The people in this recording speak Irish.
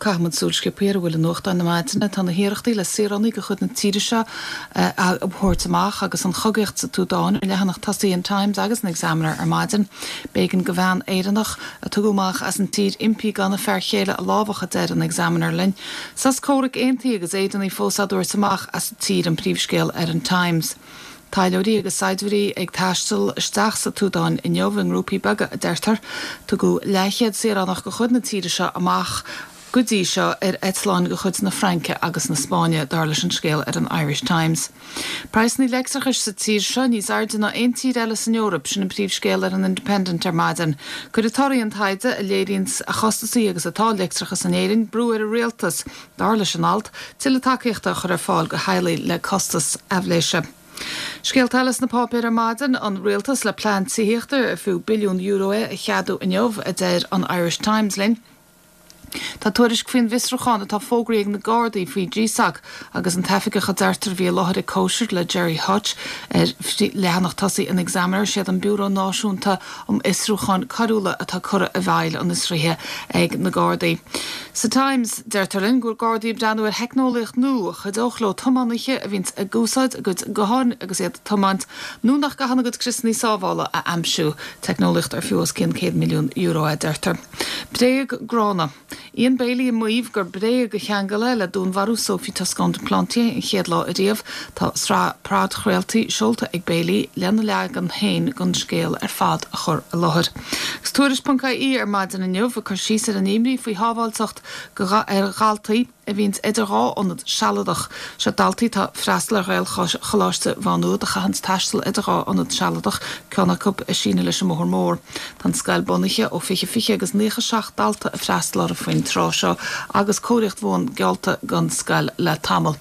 Caithfimid súil sciobtha ar a bhfuil i nuachtáin na maidine. Tá na hiarrachtaí le saoránaigh de chuid na tíre seo a thabhairt amach agus an chogaíocht sa tSúdáin ar leathanach tosaigh an Times agus an Examiner ar maidin. B'éigean do bhean Éireannach a tugadh amach as an tír impí gan a fear chéile a lámhach, a deir an Examiner linn. Sos comhraic aontaithe agus Éireannaigh fós á dtabhairt amach as an tír an príomhscéal ar an Times. Taidhleoirí agus saighdiúirí ag taisteal isteach sa tSúdáin inniu i ngrúpaí beaga, a deirtear. Tugadh leathchéad saoránach de chuid na tíre seo amach go dtí seo ar eitleáin de chuid na Fraince agus na Spáinne, dar leis an scéal ar an Irish Times. Praghsanna leictreachais sa tír seo níos airde ná aon tír eile san Eoraip, sin an príomhscéal ar an Independent ar maidin. Cuirfidh torthaí an taighde, a léiríonns a chostasaí agus atá leictreachas in Éirinn, brú ar an rialtas. Dar leis an alt, tuilleadh tacaíochta a chur ar fáil do theaghlaigh le costas aibhléise. Scéalta eile sna páipéir ar maidin, an rialtas le plean tithíochta ar fiú billiún euro é a cheadú inniu, a deir an Irish Times linn. Tá tuairisc faoin bhfiosrúchán atá fógraithe ag na Gardaí faoi GSOC agus an t-oifigeach a deirtear a bhí i láthair ag cóisir le Gerry Hutch ar leathanach tosaigh an Examiner. Siad an Biúró Náisiúnta um Fhiosrúcháin Coiriúla atá curtha i bhfeighil an fhiosraithe ag na Gardaí. Sa Times, deirtear linn go bhfuil Gardaí ag breathnú ar theicneolaíocht nua a chuideodh leo tiománaithe a bhíonns ag úsáid a gcuid gutháin agus iad ag tiomáint nó nach gcaitheann a gcuid criosanna sábhála a aimsiú. Teicneolaíocht ar fiú os cionn €100 milliún é, deirtear. Bréag gránna. Ian Bailey ag maíomh gur bréag a cheangal é le dúnmharú Sophie Toscan du Plantier an chéad lá ariamh. Tá sraith podchraoltaí seolta ag Bailey lena leagan féin den scéal ar fad a chur i láthair. Agus Tuairisc.ie ar maidin inniu ag cur síos ar an imní faoi shábháilteacht ar dhaltaí a bhíonns idir dhá ionad sealadach. Seo daltaí atá ag freastal ar Ghaelcholáiste Mhá Nuad a chaitheanns taisteal idir dhá ionad sealadach, ceann acu ag síneadh leis an mBóthar Mór. Tá an scoil bunaithe ó 2020 agus 97 dalta ag freastal orthu faoin tráth seo agus cóiríocht bhuan geallta don scoil le tamall.